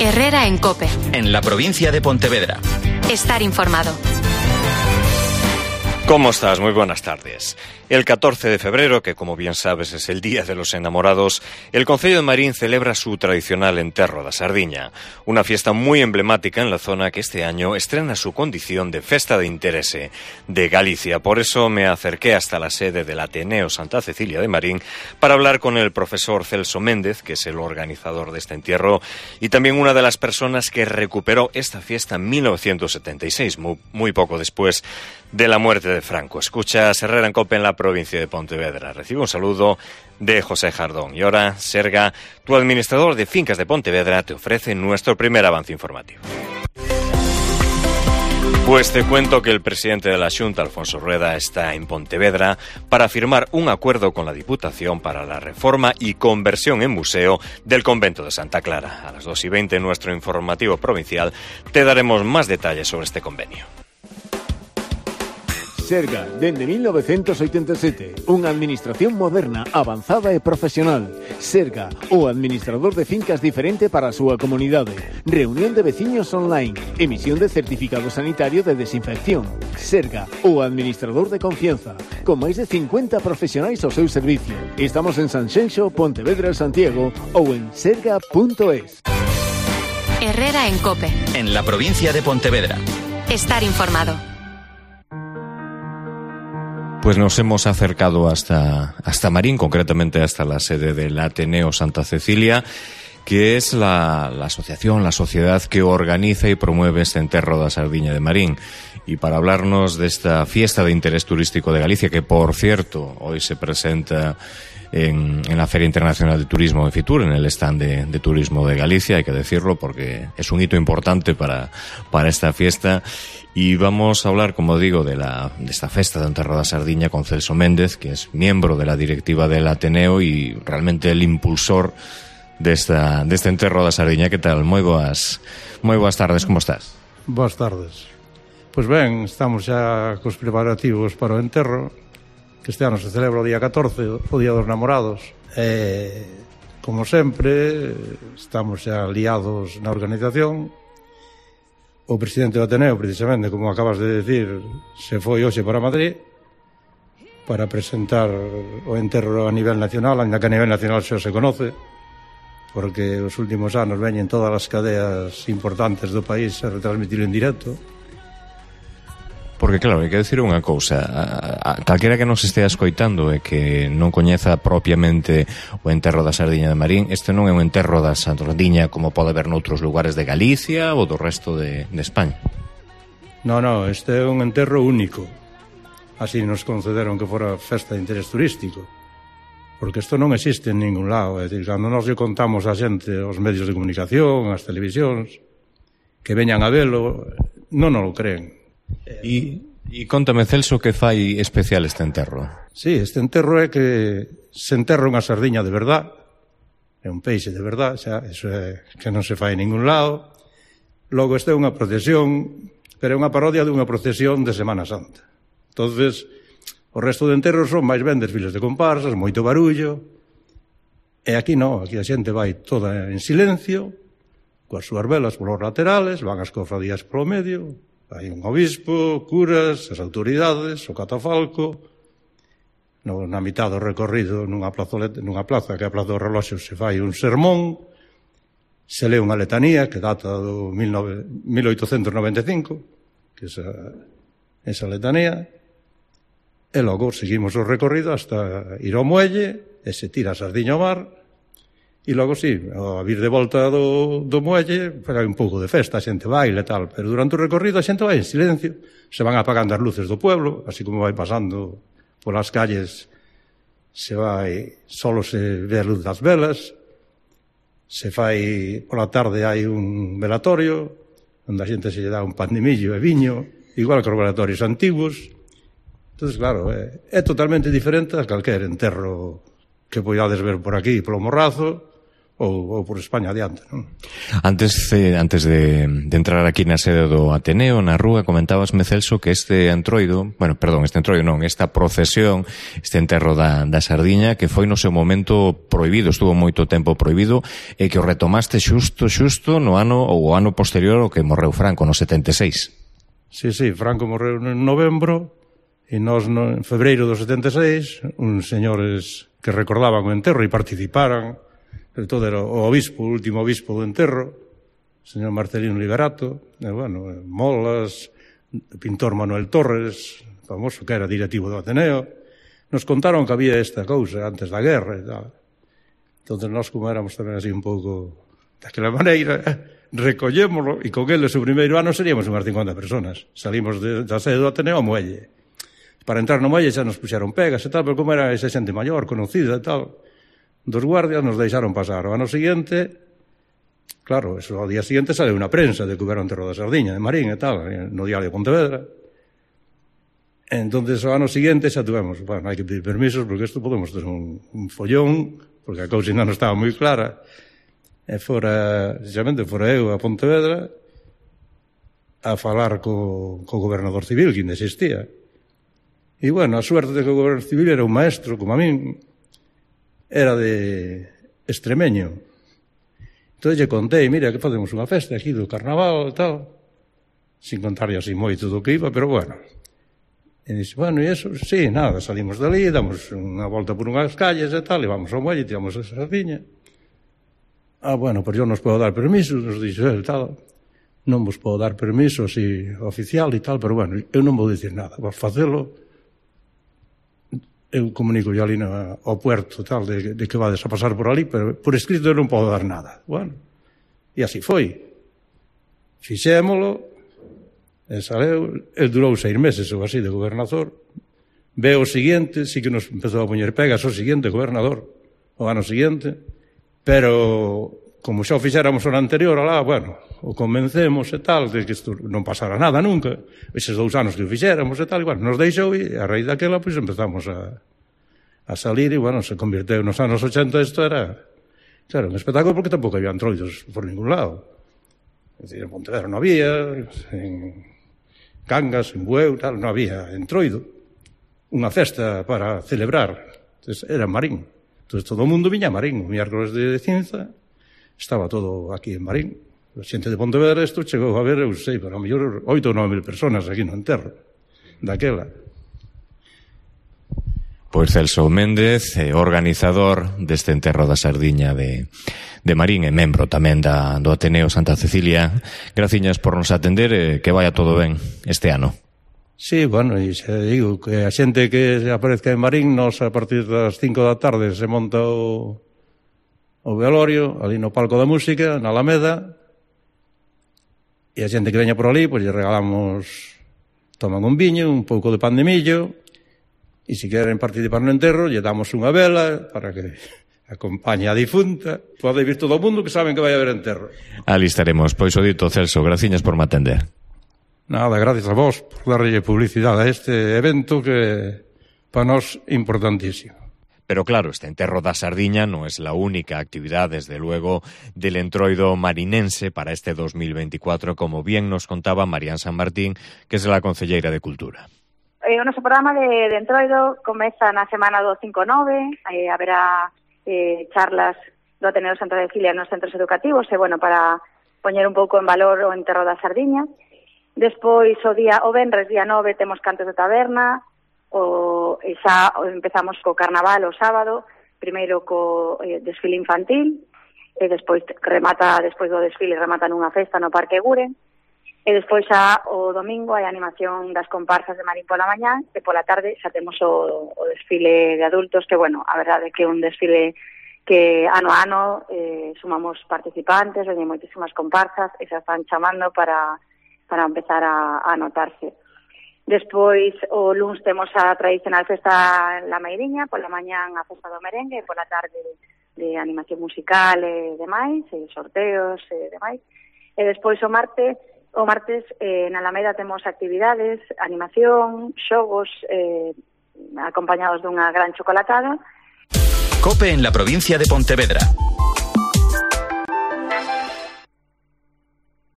Herrera en COPE. En la provincia de Pontevedra. Estar informado. ¿Cómo estás? Muy buenas tardes. El 14 de febrero, que como bien sabes es el Día de los Enamorados, el Concello de Marín celebra su tradicional Enterro da Sardiña, una fiesta muy emblemática en la zona que este año estrena su condición de Festa de Interese de Galicia. Por eso me acerqué hasta la sede del Ateneo Santa Cecilia de Marín para hablar con el profesor Celso Méndez, que es el organizador de este entierro, y también una de las personas que recuperó esta fiesta en 1976, muy poco después de la muerte de Franco. Escuchas Herrera en COPE en la provincia de Pontevedra. Recibe un saludo de José Jardón. Y ahora, Serga, tu administrador de fincas de Pontevedra, te ofrece nuestro primer avance informativo. Pues te cuento que el presidente de la Xunta, Alfonso Rueda, está en Pontevedra para firmar un acuerdo con la Diputación para la reforma y conversión en museo del convento de Santa Clara. A las 2:20 en nuestro informativo provincial te daremos más detalles sobre este convenio. Serga, dende 1987, unha administración moderna, avanzada e profesional. Serga, o administrador de fincas diferente para a súa comunidade. Reunión de veciños online, emisión de certificado sanitario de desinfección. Serga, o administrador de confianza, con máis de 50 profesionais ao seu servicio. Estamos en Sanxenxo, Pontevedra, Santiago ou en serga.es. Herrera en COPE. En la provincia de Pontevedra. Estar informado. Pues nos hemos acercado hasta Marín, concretamente hasta la sede del Ateneo Santa Cecilia, que es la asociación, la sociedad que organiza y promueve este Enterro da Sardiña de Marín. Y para hablarnos de esta fiesta de interés turístico de Galicia, que por cierto hoy se presenta en la Feria Internacional de Turismo de Fitur, en el stand de Turismo de Galicia, hay que decirlo porque es un hito importante para esta fiesta. Y vamos a hablar, como digo, de esta festa de Enterro da Sardiña con Celso Méndez, que es miembro de la directiva del Ateneo y realmente el impulsor de este Enterro da Sardiña. Que tal? Moi boas tardes, como estás? Boas tardes. Pois ben, estamos xa cos preparativos para o enterro, que este ano se celebra o día 14, o Día dos Namorados. Como sempre, estamos xa liados na organización. O presidente do Ateneo, precisamente, como acabas de decir, se foi hoxe para Madrid para presentar o enterro a nivel nacional, ainda que a nivel nacional xa se conoce, porque os últimos anos veñen todas as cadeas importantes do país a retransmitir en directo. Porque claro, hai que decir unha cousa, a calquera que nos estea escoitando e que non coñeza propiamente o Enterro da Sardiña de Marín, este non é un enterro da Sardiña como pode haber noutros lugares de Galicia ou do resto de España. No, este é un enterro único. Así nos concederon que fora festa de interés turístico, porque isto non existe en ningún lado. É dicir, cando nos lle contamos a xente, aos medios de comunicación, as televisións, que veñan a velo, non nos lo creen. E contame, Celso, que fai especial este enterro? Sí, este enterro é que se enterra unha sardiña de verdad, é un peixe de verdad, xa, eso é que non se fai en ningún lado. Logo, esta é unha procesión, pero é unha parodia dunha procesión de Semana Santa. Entonces, o resto de enterros son máis ben desfiles de comparsas, moito barullo, e aquí non, aquí a xente vai toda en silencio, coas súas velas polos laterales, van as cofradías polo medio. Hai un obispo, curas, as autoridades, o catafalco. Na mitad do recorrido, nunha plaza que é a Plaza dos Reloxos, se fai un sermón, se lee unha letanía que data do 1895, que esa letanía, e logo seguimos o recorrido hasta ir ao muelle, e se tira a sardiña ao mar. E logo, sí, a vir de volta do muelle, hai un pouco de festa, a xente baila e tal, pero durante o recorrido a xente vai en silencio, se van apagando as luces do pueblo, así como vai pasando polas calles, solo se ve a luz das velas, pola tarde hai un velatorio, onde a xente se lle dá un pan de millo e viño, igual que os velatorios antigos. Entón, claro, é totalmente diferente a calquer enterro que podades ver por aquí, polo Morrazo, ou por España adiante, non? Antes de entrar aquí na sede do Ateneo, na rúa, comentabasme, Celso, que esta procesión, este enterro da sardiña, que foi no seu momento prohibido, estuvo moito tempo prohibido, e que o retomaste xusto no ano ou o ano posterior ao que morreu Franco, no 76. Sí, Franco morreu en novembro, e nós en febreiro do 76, uns señores que recordaban o enterro e participaran, sobre todo era o obispo, o último obispo do enterro, o señor Marcelino Liberato, Molas, o pintor Manuel Torres, famoso que era directivo do Ateneo, nos contaron que había esta cousa antes da guerra e tal. Entón, nós, como éramos tamén así un pouco daquela maneira, recollémoslo, e con eles o primeiro ano seríamos unhas 50 personas. Salimos da sede do Ateneo ao muelle. Para entrar no muelle xa nos puxeron pegas e tal, pero como era esa xente maior, conocida e tal, dos guardias nos deixaron pasar. O ano seguinte, claro, ao día seguinte sale unha prensa de que hubera un enterro da sardiña de Marín e tal, no diario de Pontevedra. Entonces, o ano seguinte xa tuvemos, hai que pedir permisos porque isto podemos ter un follón, porque a cousa non estaba moi clara, e precisamente fora eu a Pontevedra a falar co gobernador civil, que ainda existía. E, bueno, a suerte de que o gobernador civil era un maestro, como a min, era de extremeño. Entón lle contei, mira, que facemos unha festa aquí do carnaval e tal, sin contarlle así moito do que iba, pero bueno. E dixo, bueno, e eso? Sí, nada, salimos dali, damos unha volta por unhas calles e tal, e vamos ao muelle, tiramos a sardiña. Bueno, pois eu nos podo dar permiso, nos dixo el, tal, non vos podo dar permiso así oficial e tal, pero bueno, eu non vou dicir nada, vos facelo. Eu comunico yo ali ao puerto tal, de que vades a pasar por ali, pero por escrito eu non podo dar nada. Bueno, e así foi. Fixémolo, e saleu, el durou 6 meses ou así de gobernador. Ve o seguinte, sí que nos empezou a poñer pegas o seguinte gobernador, o ano seguinte, pero como xa o fixéramos o anterior alá, bueno, o convencemos e tal, de que isto non pasara nada nunca, eses 2 anos que o fixéramos e tal, e bueno, nos deixou e a raíz daquela, pois empezamos a salir e, bueno, se convirteu nos anos 80, isto era, claro, un espectáculo porque tampouco había entroidos por ningún lado. É dicir, en Pontevedra non había, en Cangas, en Bueu, tal, non había entroido. Unha festa para celebrar, entonces, era en Marín. Entonces todo o mundo viña a Marín, o miércoles de cinza, estaba todo aquí en Marín. A xente de Pontevedra isto chegou a ver, eu sei, pero a mellor 8 ou 9 mil personas aquí no enterro daquela. Pois Celso Méndez, organizador deste enterro da sardiña de Marín e membro tamén do Ateneo Santa Cecilia. Graciñas por nos atender e que vaya todo ben este ano. Sí, bueno, e xa digo que a xente que aparezca en Marín, nos a partir das 5 da tarde se monta o velorio, ali no palco da música, na Alameda, e a xente que veña por ali, pois lle regalamos, toman un viño, un pouco de pan de millo, e se queren participar no enterro, lle damos unha vela para que acompañe a difunta. Pode vir todo o mundo que saben que vai haber enterro. Ali estaremos. Pois o dito, Celso, graciñas por me atender. Nada, gracias a vos por darlle publicidade a este evento que para nós é importantísimo. Pero claro, este enterro da sardiña non é a única actividad, desde luego, del entroido marinense para este 2024, como bien nos contaba Marían San Martín, que é a concelleira de Cultura. O noso programa de entroido comeza na semana do 5-9, haberá charlas do Ateneo Santa Cecilia nos centros educativos, e, bueno, para poñer un pouco en valor o enterro da sardiña. Despois, o venres, día 9, temos cantos de taberna, e xa empezamos co carnaval o sábado, primeiro co desfile infantil, e despois despois do desfile remata nunha festa no Parque Guren, e despois xa o domingo hai animación das comparsas de Marín pola mañá, e pola tarde xa temos o desfile de adultos, que, bueno, a verdade é que é un desfile que ano a ano sumamos participantes, veñen moitísimas comparsas, e xa están chamando para empezar a anotarse. Despois, o luns temos a tradicional festa en La Meiriña, pola mañán a festa do merengue, e pola tarde de animación musical e demais, e sorteos e demais. E despois o martes na Alameda temos actividades, animación, xogos, acompañados dunha gran chocolatada. COPE en la provincia de Pontevedra.